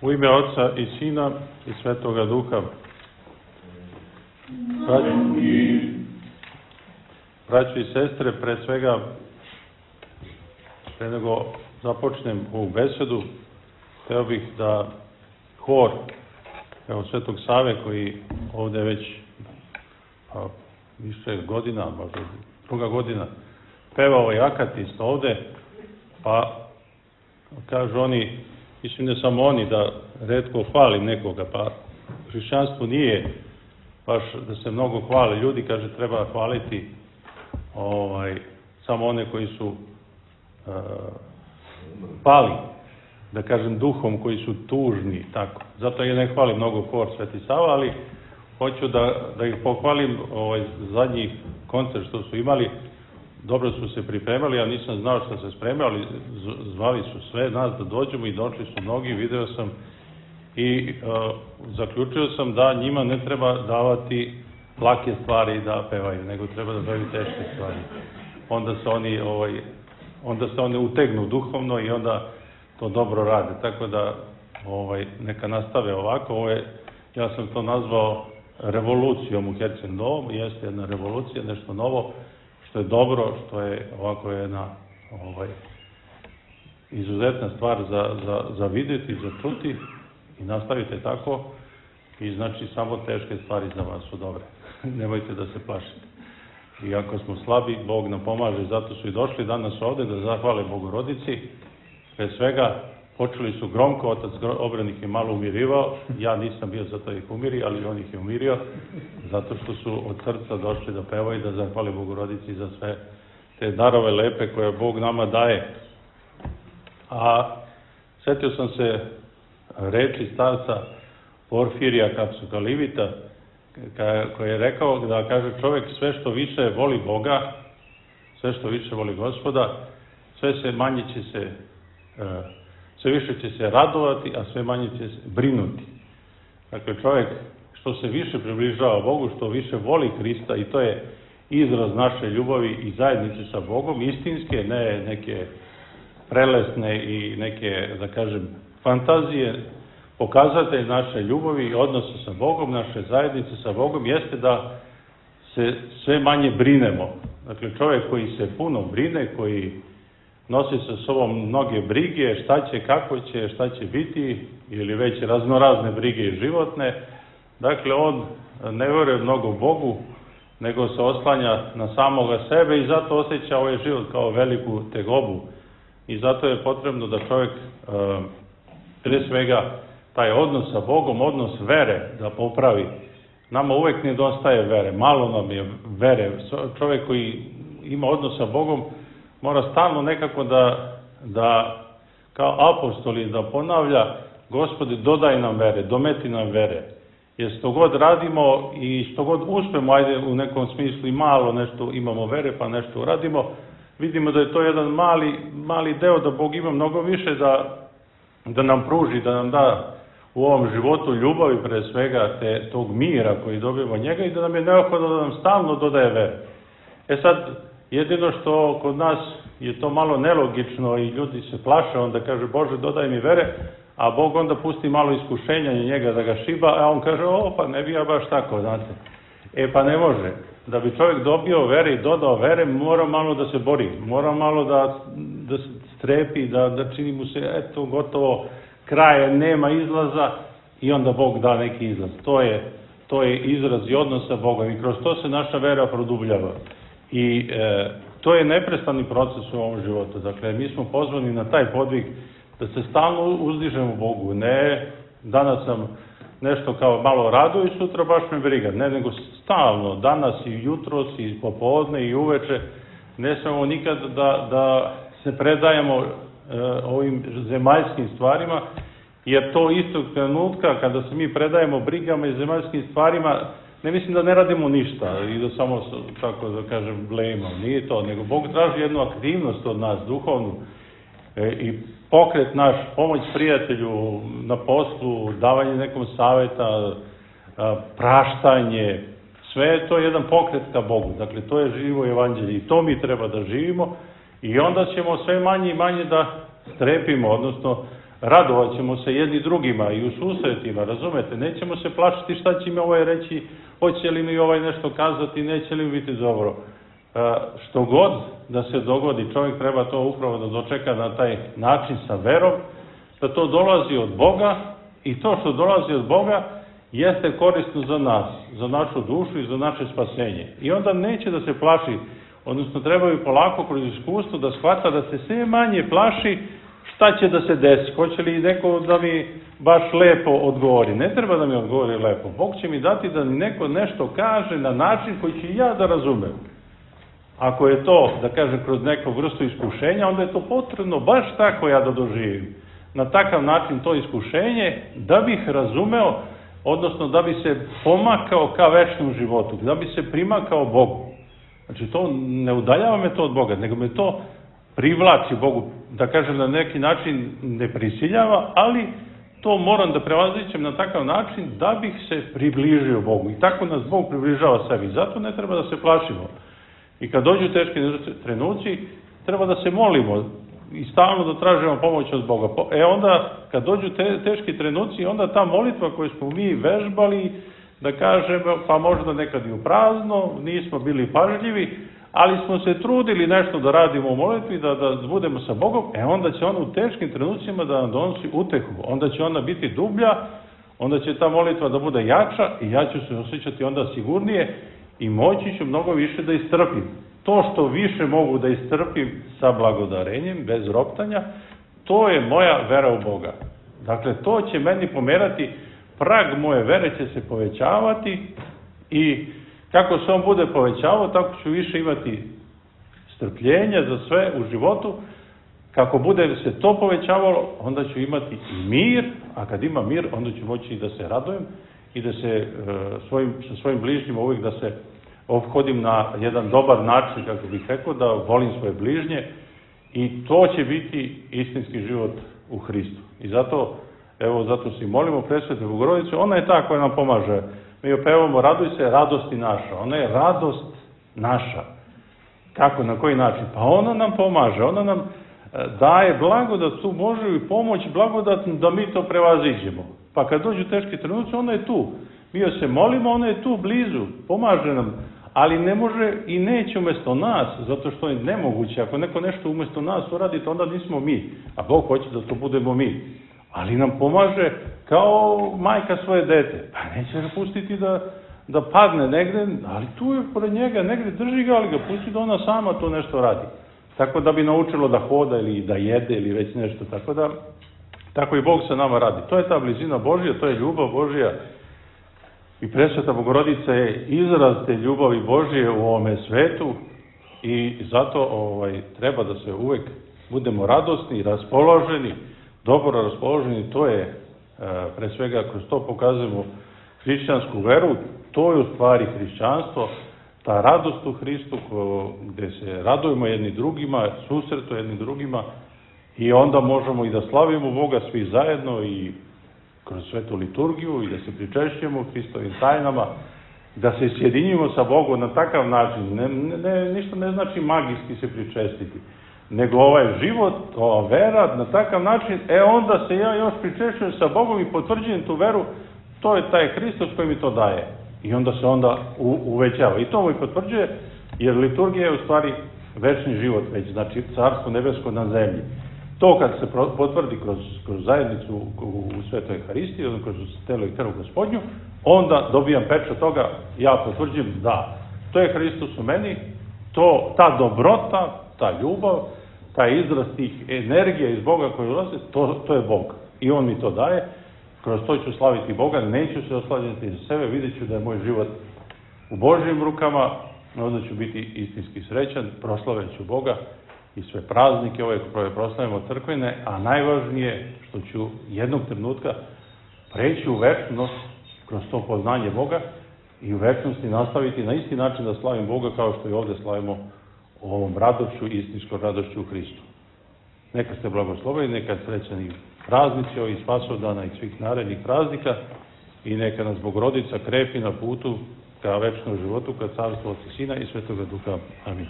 U ime Otca i Sina i Svetoga Duha. Braći i sestre, pre svega, pre nego započnem ovu besedu, hteo bih da hor, evo Svetog Save, koji ovde već više godina, možda druga godina, peva ovaj akatist ovde, pa kažu oni, mislim ne samo oni, da retko hvali nekoga, pa hrišćanstvo nije baš da se mnogo hvale ljudi, kaže treba hvaliti samo one koji su pali, da kažem duhom, koji su tužni, tako. Zato ja ne hvalim mnogo hor Sveti Sava, ali hoću da ih pohvalim, zadnji koncert što su imali, dobro su se pripremali, ja nisam znao što se spremali, zvali su sve nas da dođemo i došli su mnogi, video sam i zaključio sam da njima ne treba davati lake stvari da pevaju, nego treba da daju teške stvari. Onda se oni utegnu duhovno i onda to dobro rade. Tako da neka nastave ovako. Ja sam to nazvao revolucijom u Herceg-Novom, jeste jedna revolucija, nešto novo, što je dobro, što je ovako jedna izuzetna stvar za vidjeti, za čuti i nastavite tako i znači samo teške stvari za vas su dobre. Nemojte da se plašite. I ako smo slabi, Bog nam pomaže, zato su i došli danas ovde da zahvale Bogorodici. Pre svega, počeli su gromko, otac Obran ih je malo umirivao, ja nisam bio zato ih umiri, ali on ih je umirio, zato što su od srca došli da pevaju i da zahvale Bogorodici za sve te darove lepe koje Bog nama daje. A setio sam se reči starca Porfirija Kapsukalivita, koji je rekao da kaže čovjek sve što više voli Boga, sve što više voli Gospoda, sve više će se radovati, a sve manje će se brinuti. Dakle, čovjek što se više približava Bogu, što više voli Hrista, i to je izraz naše ljubavi i zajednice sa Bogom, istinske, ne neke prelesne i neke, da kažem, fantazije. Pokazatelj naše ljubavi i odnosa sa Bogom, naše zajednice sa Bogom, jeste da se sve manje brinemo. Dakle, čovjek koji se puno brine, koji nosi sa sobom mnoge brige, šta će, kako će, šta će biti, ili već raznorazne brige životne, dakle, on ne veruje mnogo Bogu, nego se oslanja na samoga sebe i zato osjeća ovaj život kao veliku tegobu. I zato je potrebno da čovjek, pre svega, taj odnos sa Bogom, odnos vere da popravi. Nama uvek nedostaje vere, malo nam je vere. Čovjek koji ima odnos sa Bogom mora stalno nekako da kao apostoli da ponavlja: Gospodi, dodaj nam vere, dometi nam vere. Jer što god radimo i što god uspemo, ajde u nekom smislu i malo nešto imamo vere pa nešto uradimo, vidimo da je to jedan mali deo, da Bog ima mnogo više da nam pruži, da nam da u ovom životu ljubavi, pre svega tog mira koji dobijemo od njega, i da nam je neophodno da nam stalno dodaje vere. Sad, jedino što kod nas je to malo nelogično i ljudi se plaše, onda kaže Bože dodaj mi vere, a Bog onda pusti malo iskušenja i njega da ga šiba, a on kaže pa ne bi ja baš tako, znate. Pa ne može. Da bi čovjek dobio vere i dodao vere, mora malo da se bori, mora malo da se strepi, da čini mu se gotovo kraje, nema izlaza, i onda Bog da neki izlaz. To je izraz i odnos sa Bogom i kroz to se naša vera produbljava. I to je neprestani proces u ovom životu. Dakle, mi smo pozvani na taj podvig da se stalno uzdižemo Bogu. Ne, danas sam nešto kao malo radio i sutra baš me briga. Ne, nego stalno, danas i jutros i popodne i uveče, ne smemo nikad da se predajemo ovim zemaljskim stvarima, jer to istog trenutka kada se mi predajemo brigama i zemaljskim stvarima, ne mislim da ne radimo ništa i da samo, tako da kažem, blejimo. Nije to, nego Bog traži jednu aktivnost od nas, duhovnu, i pokret naš, pomoć prijatelju na poslu, davanje nekom saveta, praštanje, sve je to jedan pokret ka Bogu. Dakle, to je živo evanđelje i to mi treba da živimo, i onda ćemo sve manje i manje da strepimo, odnosno radovat ćemo se jedni drugima i u susretima, razumete, nećemo se plašiti šta će mi ovaj reći, hoće li mi ovaj nešto kazati, neće li mi biti dobro. Što god da se dogodi, čovjek treba to upravo da dočeka na taj način sa verom, da to dolazi od Boga i to što dolazi od Boga jeste korisno za nas, za našu dušu i za naše spasenje. I onda neće da se plaši, odnosno trebaju polako kroz iskustvo da shvata da se sve manje plaši šta će da se desi. Hoće li neko da mi baš lepo odgovori? Ne treba da mi odgovori lepo. Bog će mi dati da mi neko nešto kaže na način koji ću ja da razumem. Ako je to, da kažem, kroz neku vrstu iskušenja, onda je to potrebno baš tako ja da doživim. Na takav način to iskušenje da bih razumeo, odnosno da bi se pomakao ka večnom životu, da bi se primakao Bogu. Znači, to ne udaljava me to od Boga, nego me to privlači Bogu, da kažem, na neki način ne prisiljava, ali to moram da prevaziđem na takav način da bih se približio Bogu. I tako nas Bog približava sebi. Zato ne treba da se plašimo. I kad dođu teški trenuci, treba da se molimo i stalno da tražimo pomoć od Boga. Onda, kad dođu teški trenuci, onda ta molitva koju smo mi vežbali, da kažemo, pa možda nekad i u prazno, nismo bili pažljivi, ali smo se trudili nešto da radimo u molitvi, da budemo sa Bogom, onda će ona u teškim trenucima da nam donosi utehu. Onda će ona biti dublja, onda će ta molitva da bude jača i ja ću se osjećati onda sigurnije i moći ću mnogo više da istrpim. To što više mogu da istrpim sa blagodarenjem, bez roptanja, to je moja vera u Boga. Dakle, to će meni pomerati, prag moje vere će se povećavati i kako se on bude povećavao, tako ću više imati strpljenja za sve u životu. Kako bude se to povećavalo, onda ću imati i mir, a kad ima mir, onda ću moći i da se radujem i da se sa svojim bližnjima uvijek da se ophodim na jedan dobar način, kako bih rekao, da volim svoje bližnje i to će biti istinski život u Hristu. I zato se molimo Presvetu Bogorodicu, ona je ta koja nam pomaže. Mi opevamo raduj se, radosti naša. Ona je radost naša. Kako, na koji način? Pa ona nam pomaže, ona nam daje blagodat, tu Božju i pomoć blagodatnu da mi to prevaziđemo. Pa kad dođu teški trenuci, ona je tu. Mi joj se molimo, ona je tu blizu, pomaže nam, ali ne može i neće umjesto nas, zato što je nemoguće. Ako neko nešto umjesto nas uradi, to onda nismo mi, a Bog hoće da to budemo mi. Ali nam pomaže kao majka svoje dete. Pa neće ga pustiti da padne negde, ali tu je pored njega, negde drži ga, ali ga pusti da ona sama to nešto radi. Tako da bi naučilo da hoda ili da jede ili već nešto. Tako i Bog sa nama radi. To je ta blizina Božja, to je ljubav Božja. I Presveta Bogorodica je izraz te ljubavi Božje u ovome svetu i zato treba da se uvek budemo radosni, raspoloženi, dobro raspoloženi. To je, pre svega, kroz to pokazujemo hrišćansku veru. To je u stvari hrišćanstvo, ta radost u Hristu gde se radujemo jedni drugima, susretu jedni drugima i onda možemo i da slavimo Boga svi zajedno i kroz svetu liturgiju i da se pričešćujemo Hristovim tajnama, da se sjedinimo sa Bogom na takav način. Ništa ne znači magijski se pričestiti, nego ovaj život, ova vera, na takav način, onda se ja još pričešćujem sa Bogom i potvrđujem tu veru, to je taj Hristos koji mi to daje. I onda se uvećava. I to mu i potvrđuje, jer liturgija je u stvari večni život već, znači carstvo nebesko na zemlji. To kad se potvrdi kroz zajednicu u Svetoj Euharistiji, kroz telo i krv Gospodnju, onda dobijam pečat toga, ja potvrđujem da to je Hristos u meni, ta dobrota, ta ljubav, taj izraz tih energija iz Boga koji ulaze, to je Bog. I On mi to daje, kroz to ću slaviti Boga, neću se oslavljati za sebe, vidjet ću da je moj život u Božjim rukama, onda ću biti istinski srećan, proslaveću Boga i sve praznike ove koje proslavimo crkvene, a najvažnije što ću jednog trenutka preći u večnost kroz to poznanje Boga i u večnosti nastaviti na isti način da slavim Boga kao što i ovde slavimo ovom radošću, istinskom radošću u Hristu. Neka ste blagosloveni, neka srećani praznici ovih Spasovdana i svih narednih praznika i neka nas Bogorodica krepi na putu ka večnom životu, ka carstvu Otca, Sina i Svetoga Duha. Amin.